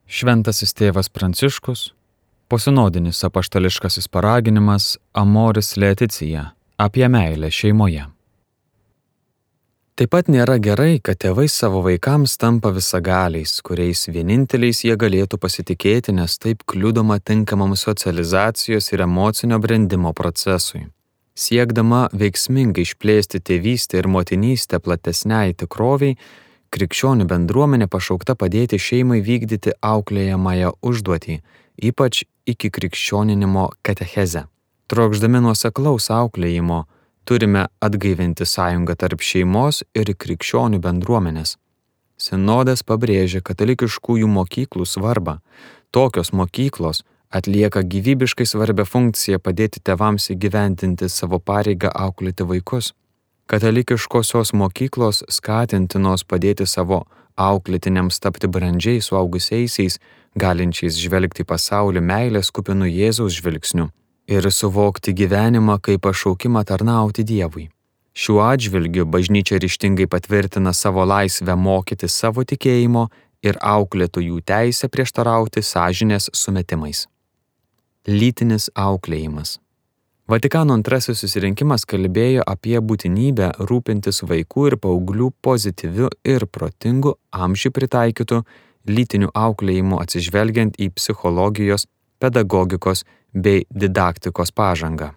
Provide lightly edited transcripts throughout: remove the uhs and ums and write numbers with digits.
Šventasis tėvas Pranciškus, posinodinis apaštališkasis paraginimas Amoris Laetitia apie meilę šeimoje. Taip pat nėra gerai, kad tėvai savo vaikams tampa visagaliais, kuriais vieninteliais jie galėtų pasitikėti, nes taip kliudoma tinkamam socializacijos ir emocinio brendimo procesui. Siekdama veiksmingai išplėsti tėvystę ir motinystę platesniai tikroviai, krikščionių bendruomenė pašaukta padėti šeimai vykdyti auklėjamąją užduotį, ypač iki krikščioninimo katechezę. Trokšdami nuoseklaus auklėjimo, turime atgaivinti sąjungą tarp šeimos ir krikščionių bendruomenės. Sinodas pabrėžia katalikiškųjų mokyklų svarbą. Tokios mokyklos atlieka gyvybiškai svarbią funkciją padėti tėvams įgyvendinti savo pareigą auklėti vaikus. Katalikiškosios mokyklos skatintinos padėti savo auklėtiniams tapti brandžiais suaugusiaisiais, galinčiais žvelgti pasaulį meilės kupinu Jėzaus žvilgsniu ir suvokti gyvenimą kaip pašaukimą tarnauti Dievui. Šiuo atžvilgiu bažnyčia ryžtingai patvirtina savo laisvę mokyti savo tikėjimo ir auklėtojų teisę prieštarauti sąžinės sumetimais. Lytinis auklėjimas. Vatikano II susirinkimas kalbėjo apie būtinybę rūpintis vaikų ir paauglių pozityviu ir protingu amžiui pritaikytu lytiniu auklėjimu atsižvelgiant į psichologijos, pedagogikos bei didaktikos pažangą.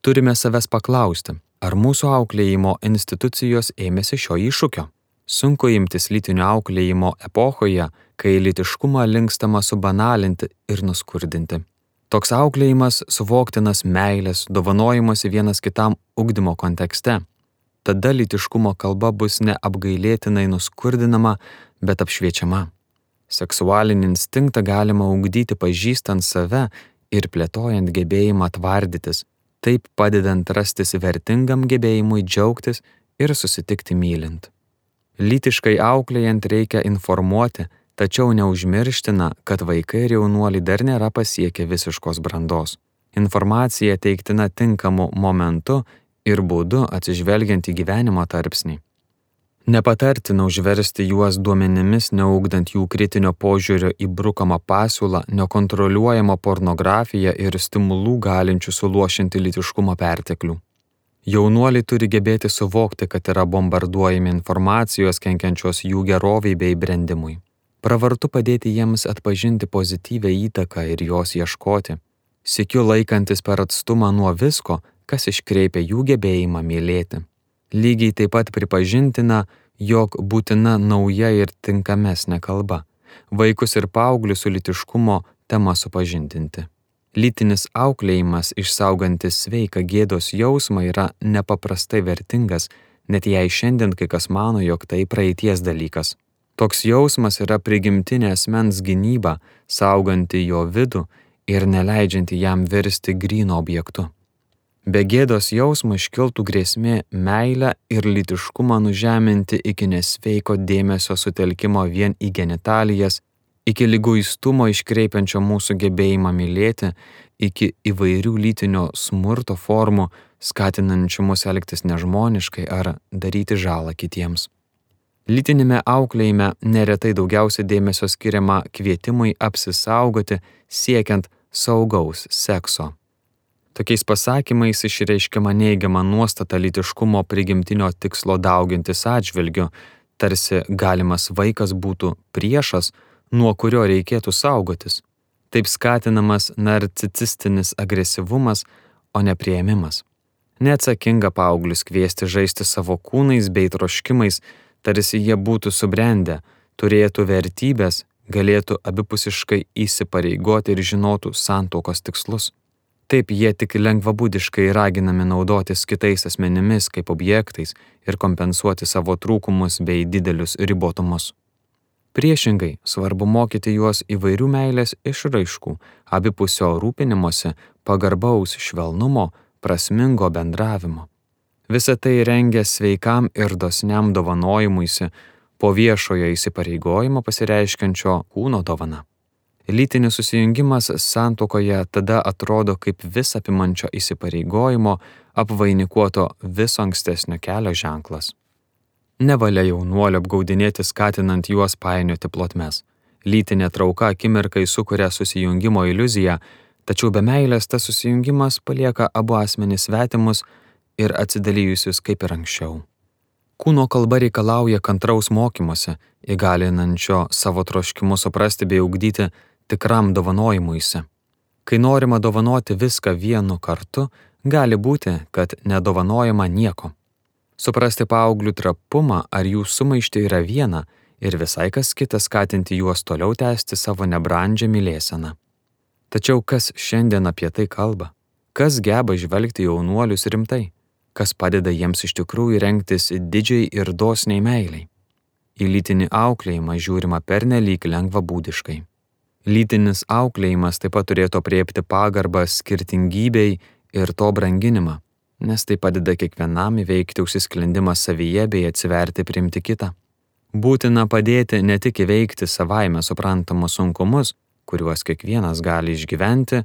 Turime savęs paklausti, ar mūsų auklėjimo institucijos ėmėsi šio iššūkio? Sunku imtis lytinio auklėjimo epochoje, kai lytiškumą linkstama subanalinti ir nuskurdinti. Toks auklėjimas suvoktinas meilės, dovanojimosi vienas kitam ugdymo kontekste. Tada lytiškumo kalba bus ne apgailėtinai nuskurdinama, bet apšviečiama. Seksualinį instinktą galima ugdyti pažįstant save ir plėtojant gebėjimą tvardytis, taip padedant rastis vertingam gebėjimui džiaugtis ir susitikti mylint. Lytiškai auklėjant reikia informuoti, tačiau neužmirština, kad vaikai ir jaunuoliai dar nėra pasiekę visiškos brandos. Informacija teiktina tinkamu momentu ir būdu atsižvelgiant į gyvenimo tarpsnį. Nepatartina užversti juos duomenimis, neugdant jų kritinio požiūrio į brukamą pasiūlą, nekontroliuojamą pornografiją ir stimulų galinčių suluošinti lytiškumo perteklių. Jaunuoliai turi gebėti suvokti, kad yra bombarduojami informacijos kenkiančios jų geroviai bei brendimui. Pravartu padėti jiems atpažinti pozityvią įtaką ir jos ieškoti, sykiu laikantis per atstumą nuo visko, kas iškreipia jų gebėjimą mylėti. Lygiai taip pat pripažintina, jog būtina nauja ir tinkamesnė kalba, vaikus ir paauglius su lytiškumo tema supažindinti. Lytinis auklėjimas, išsaugantis sveiką gėdos jausmą, yra nepaprastai vertingas, net jei šiandien kai kas mano, jog tai praeities dalykas. Toks jausmas yra prigimtinė asmens gynyba, sauganti jo vidų ir neleidžianti jam virsti gryno objektu. Be gėdos jausmo iškiltų grėsmė meilę ir lytiškumą nužeminti iki nesveiko dėmesio sutelkimo vien į genitalijas, iki liguistumo iškreipiančio mūsų gebėjimą mylėti, iki įvairių lytinio smurto formų, skatinančių mus elgtis nežmoniškai ar daryti žalą kitiems. Lytinėme auklėjime neretai daugiausia dėmesio skiriama kvietimui apsisaugoti siekiant saugaus sekso. Tokiais pasakymais išreiškiama neigiama nuostata lytiškumo prigimtinio tikslo daugintis atžvilgiu, tarsi galimas vaikas būtų priešas, nuo kurio reikėtų saugotis. Taip skatinamas narcisistinis agresyvumas, o ne priėmimas. Neatsakinga paauglius kviesti žaisti savo kūnais bei troškimais, tarsi jie būtų subrendę, turėtų vertybės, galėtų abipusiškai įsipareigoti ir žinotų santuokos tikslus. Taip jie tik lengvabūdiškai raginami naudotis kitais asmenimis kaip objektais ir kompensuoti savo trūkumus bei didelius ribotumus. Priešingai, svarbu mokyti juos įvairių meilės išraiškų, abipusio rūpinimosi, pagarbaus švelnumo, prasmingo bendravimo. Visa tai rengia sveikam ir dosniam dovanojimuisi po viešojo įsipareigojimo pasireiškiančio kūno dovana. Lytinis susijungimas santuokoje tada atrodo kaip visapimančio įsipareigojimo apvainikuoto viso ankstesnio kelio ženklas. Nevalia jaunuolio apgaudinėti skatinant juos painioti plotmes. Lytinė trauka akimirkai sukuria susijungimo iliuziją, tačiau be meilės tas susijungimas palieka abu asmenys svetimus ir atsidalijusius kaip ir anksčiau. Kūno kalba reikalauja kantraus mokymosi, įgalinančio savo troškimus suprasti bei ugdyti tikram dovanojimuisi. Kai norima dovanoti viską vienu kartu, gali būti, kad nedovanojama nieko. Suprasti paauglių trapumą ar jų sumaištį yra viena ir visai kas kita skatinti juos toliau tęsti savo nebrandžią mylėseną. Tačiau kas šiandien apie tai kalba? Kas geba žvelgti jaunuolius rimtai? Kas padeda jiems iš tikrųjų rengtis didžiai ir dosniai meiliai? Į lytinį auklėjimą žiūrima pernelyg lengvabūdiškai. Lytinis auklėjimas taip pat turėtų apriepti pagarbą skirtingybei ir to branginimą, nes tai padeda kiekvienam įveikti užsisklendimą savyje bei atsiverti priimti kitą. Būtina padėti ne tik įveikti savaime suprantamus sunkumus, kuriuos kiekvienas gali išgyventi,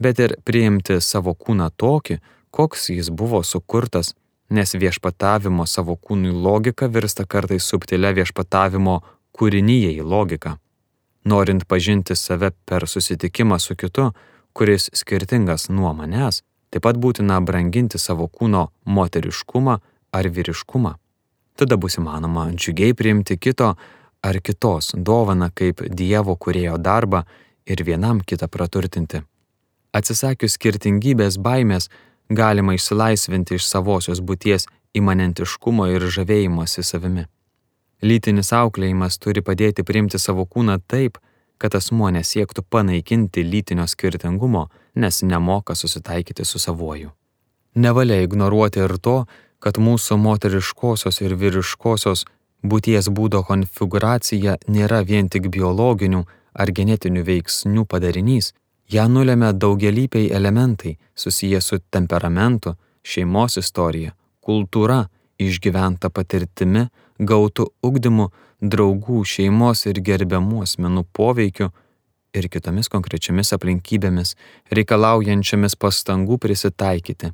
bet ir priimti savo kūną tokį, koks jis buvo sukurtas, nes viešpatavimo savo kūnui logika virsta kartais subtilia viešpatavimo kūrinijai logika. Norint pažinti save per susitikimą su kitu, kuris skirtingas nuo manęs, taip pat būtina branginti savo kūno moteriškumą ar vyriškumą. Tada bus įmanoma džiugiai priimti kito ar kitos dovaną kaip Dievo kūrėjo darbą ir vienam kitą praturtinti. Atsisakius skirtingybės baimės, galima išsilaisvinti iš savosios būties imanentiškumo ir žavėjimosi savimi. Lytinis auklėjimas turi padėti priimti savo kūną taip, kad asmuo nesiektų panaikinti lytinio skirtingumo, nes nemoka susitaikyti su savuoju. Nevalia ignoruoti ir to, kad mūsų moteriškosios ir vyriškosios būties būdo konfigūracija nėra vien tik biologinių ar genetinių veiksnių padarinys, ją nulemia daugialypiai elementai susiję su temperamentu, šeimos istorija, kultūra, išgyventa patirtimi, gautu ugdymu, draugų, šeimos ir gerbiamų asmenų poveikiu ir kitomis konkrečiomis aplinkybėmis, reikalaujančiamis pastangų prisitaikyti.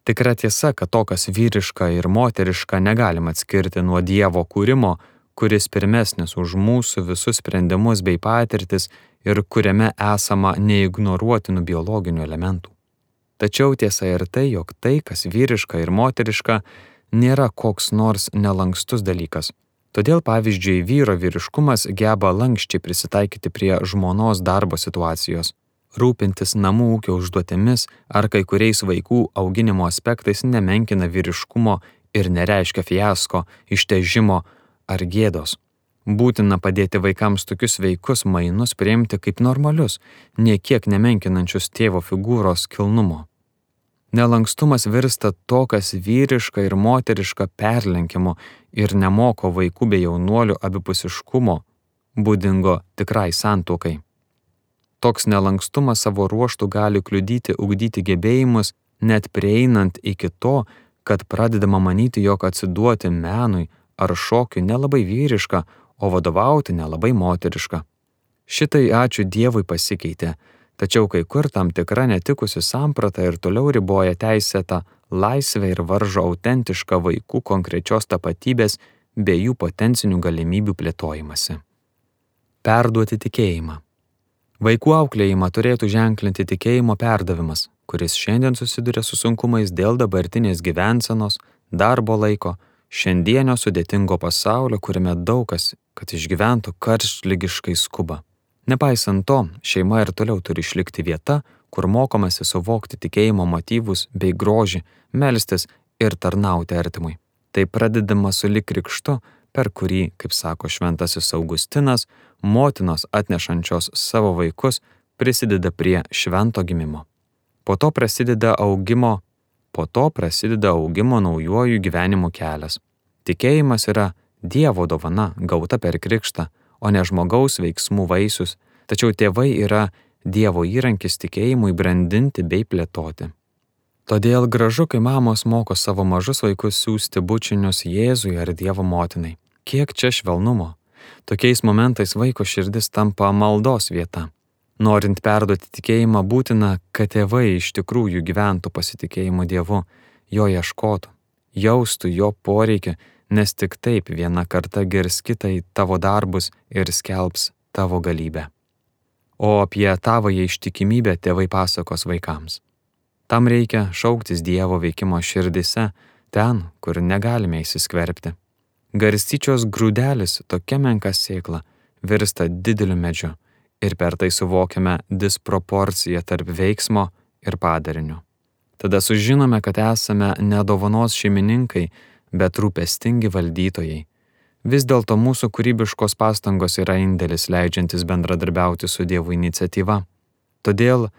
Tikra tiesa, kad to, kas vyriška ir moteriška, negalima atskirti nuo Dievo kūrimo, kuris pirmesnis už mūsų visus sprendimus bei patirtis ir kuriame esama neignoruotinų biologinių elementų. Tačiau tiesa ir tai, jog tai, kas vyriška ir moteriška, nėra koks nors nelankstus dalykas. Todėl, pavyzdžiui, vyro vyriškumas geba lankščiai prisitaikyti prie žmonos darbo situacijos. Rūpintis namų ūkio užduotėmis ar kai kuriais vaikų auginimo aspektais nemenkina vyriškumo ir nereiškia fiasko, ištežimo ar gėdos. Būtina padėti vaikams tokius sveikus mainus priimti kaip normalius, niekiek nemenkinančius tėvo figūros kilnumo. Nelankstumas virsta to, kas vyriška ir moteriška perlenkimu ir nemoko vaikų bei jaunuolių abipusiškumo, būdingo tikrai santuokai. Toks nelankstumas savo ruožtų gali kliudyti ugdyti gebėjimus, net prieinant iki to, kad pradedama manyti, jog atsiduoti menui ar šokiui nelabai vyriška, o vadovauti nelabai moteriška. Šitai ačiū Dievui pasikeitė, tačiau kai kur tam tikra netikusi samprata ir toliau riboja teisėtą laisvę ir varžo autentišką vaikų konkrečios tapatybės bei jų potencinių galimybių plėtojimąsi. Perduoti tikėjimą. Vaikų auklėjimą turėtų ženklinti tikėjimo perdavimas, kuris šiandien susiduria su sunkumais dėl dabartinės gyvensenos, darbo laiko, šiandienio sudėtingo pasaulio, kuriame daug kas, kad išgyventų, karštligiškai skuba. Nepaisant to, šeima ir toliau turi išlikti vieta, kur mokomasi suvokti tikėjimo motyvus bei grožį, melstis ir tarnauti artimui. Tai pradedama sulig krikštu, per kurį, kaip sako šventasis Augustinas, motinos atnešančios savo vaikus prisideda prie švento gimimo. Po to prasideda augimo naujuoju gyvenimo kelias. Tikėjimas yra Dievo dovana gauta per krikštą, o ne žmogaus veiksmų vaisius, tačiau tėvai yra Dievo įrankis tikėjimui brandinti bei plėtoti. Todėl gražu, kai mamos moko savo mažus vaikus siųsti bučinius Jėzui ar Dievo motinai. Kiek čia švelnumo. Tokiais momentais vaiko širdis tampa maldos vieta. Norint perduoti tikėjimą, būtina, kad tėvai iš tikrųjų gyventų pasitikėjimu Dievu, jo ieškotų, jaustų jo poreikį, nes tik taip viena karta girs kitą į tavo darbus ir skelbs tavo galybę. O apie tavąją ištikimybę tėvai pasakos vaikams. Tam reikia šauktis Dievo veikimo širdise, ten, kur negalime įsiskverbti. Garstyčios grūdelis, tokia menka sėkla, virsta dideliu medžiu ir per tai suvokiame disproporciją tarp veiksmo ir padarinio. Tada sužinome, kad esame ne dovanos šeimininkai, bet rūpestingi valdytojai. Vis dėlto mūsų kūrybiškos pastangos yra indėlis leidžiantis bendradarbiauti su Dievo iniciatyva. Todėl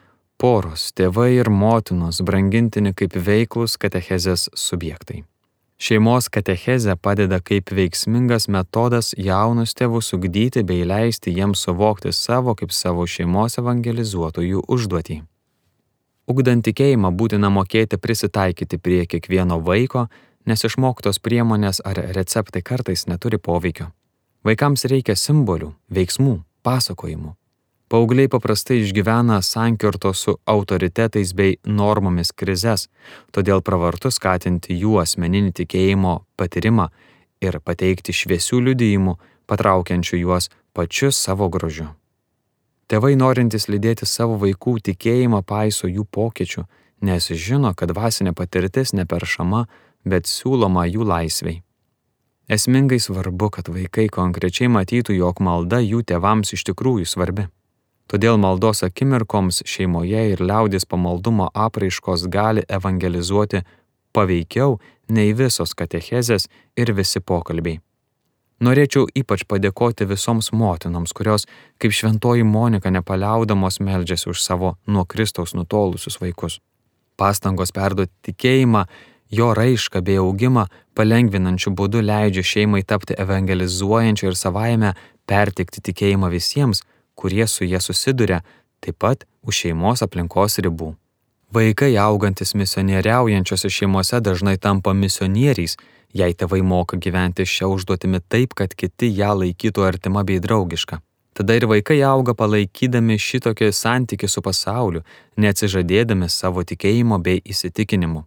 poros, tėvai ir motinos brangintini kaip veiklus katechezės subjektai. Šeimos katechezė padeda kaip veiksmingas metodas jaunus tėvus ugdyti bei leisti jiems suvokti savo kaip savo šeimos evangelizuotojų užduotį. Ugdant tikėjimą būtina mokėti prisitaikyti prie kiekvieno vaiko, nes išmoktos priemonės ar receptai kartais neturi poveikio. Vaikams reikia simbolių, veiksmų, pasakojimų. Paaugliai paprastai išgyvena sankirto su autoritetais bei normomis krizes, todėl pravartu skatinti jų asmeninį tikėjimo patyrimą ir pateikti šviesių liudijimų, patraukiančių juos pačiu savo grožiu. Tėvai norintys lydėti savo vaikų tikėjimą paiso jų pokyčių, nes žino, kad dvasinė patirtis neperšama, bet siūloma jų laisvei. Esmingai svarbu, kad vaikai konkrečiai matytų, jog malda jų tėvams iš tikrųjų svarbi. Todėl maldos akimirkoms šeimoje ir liaudies pamaldumo apraiškos gali evangelizuoti paveikiau nei visos katechezės ir visi pokalbiai. Norėčiau ypač padėkoti visoms motinoms, kurios, kaip šventoji Monika, nepaliaudamos meldžiasi už savo nuo Kristaus nutolusius vaikus. Pastangos perduoti tikėjimą, jo raišką bei augimą palengvinančiu būdu leidžia šeimai tapti evangelizuojančiu ir savaime perteikti tikėjimą visiems, kurie su jie susiduria, taip pat už šeimos aplinkos ribų. Vaikai augantis misionieriaujančiose šeimose dažnai tampa misionieriais, jei tėvai moka gyventi šią užduotimi taip, kad kiti ją laikytų artima bei draugiška. Tada ir vaikai auga palaikydami šitokį santykį su pasauliu, neatsižadėdami savo tikėjimo bei įsitikinimų.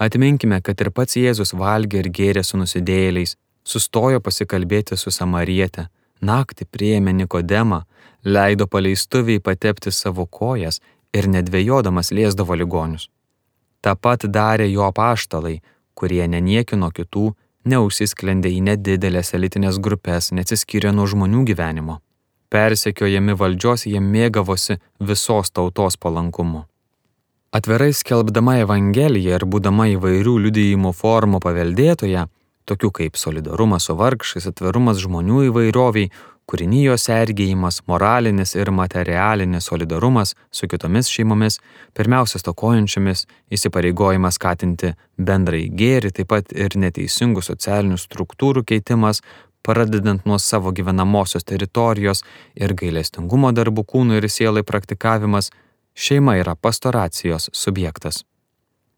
Atminkime, kad ir pats Jėzus valgė ir gėrė su nusidėjėliais, sustojo pasikalbėti su samariete, naktį priėmė Nikodemą, leido paleistuviai patepti savo kojas ir nedvejodamas liesdavo ligonius. Ta pat darė jo apaštalai, kurie neniekino kitų, neužsisklendė į nedidelės elitinės grupės, neatsiskyrė nuo žmonių gyvenimo. Persekiojami valdžios jie mėgavosi visos tautos palankumu. Atvirai skelbdama Evangeliją ir būdama įvairių liudijimų formų paveldėtoja, tokių kaip solidarumas su vargšais, atvirumas žmonių įvairoviai, kūrinijos sergėjimas, moralinis ir materialinis solidarumas su kitomis šeimomis, pirmiausia stokojančiomis, įsipareigojimas skatinti bendrąjį gėrį, taip pat ir neteisingų socialinių struktūrų keitimas, pradedant nuo savo gyvenamosios teritorijos ir gailestingumo darbų kūnui ir sielai praktikavimas, šeima yra pastoracijos subjektas.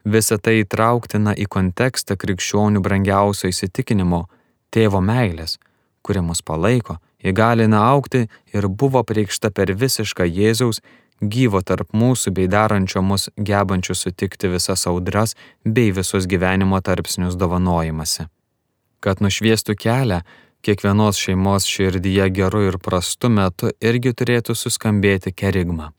Visa tai įtrauktina į kontekstą krikščionių brangiausio įsitikinimo tėvo meilės, kuri mus palaiko, įgalina augti ir buvo preikšta per visišką Jėzaus, gyvo tarp mūsų bei darančio mus gebančių sutikti visas audras bei visus gyvenimo tarpsnius dovanojimąsi. Kad nušviestų kelią, kiekvienos šeimos širdyje geru ir prastu metu irgi turėtų suskambėti kerigma.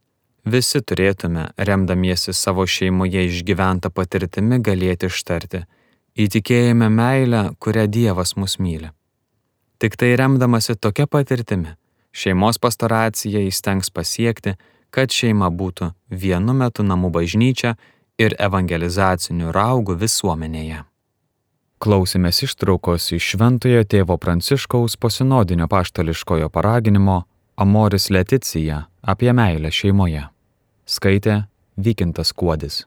Visi turėtume, remdamiesi savo šeimoje išgyventą patirtimi, galėti ištarti: įtikėjime meilę, kurią Dievas mus myli. Tik tai remdamasi tokia patirtimi, šeimos pastoracija įstengs pasiekti, kad šeima būtų vienu metu namų bažnyčia ir evangelizaciniu raugu visuomenėje. Klausėmės ištraukos iš Šventojo tėvo Pranciškaus posinodinio apaštališkojo paraginimo Amoris Laetitia apie meilę šeimoje. Skaitė Vykintas Kuodis.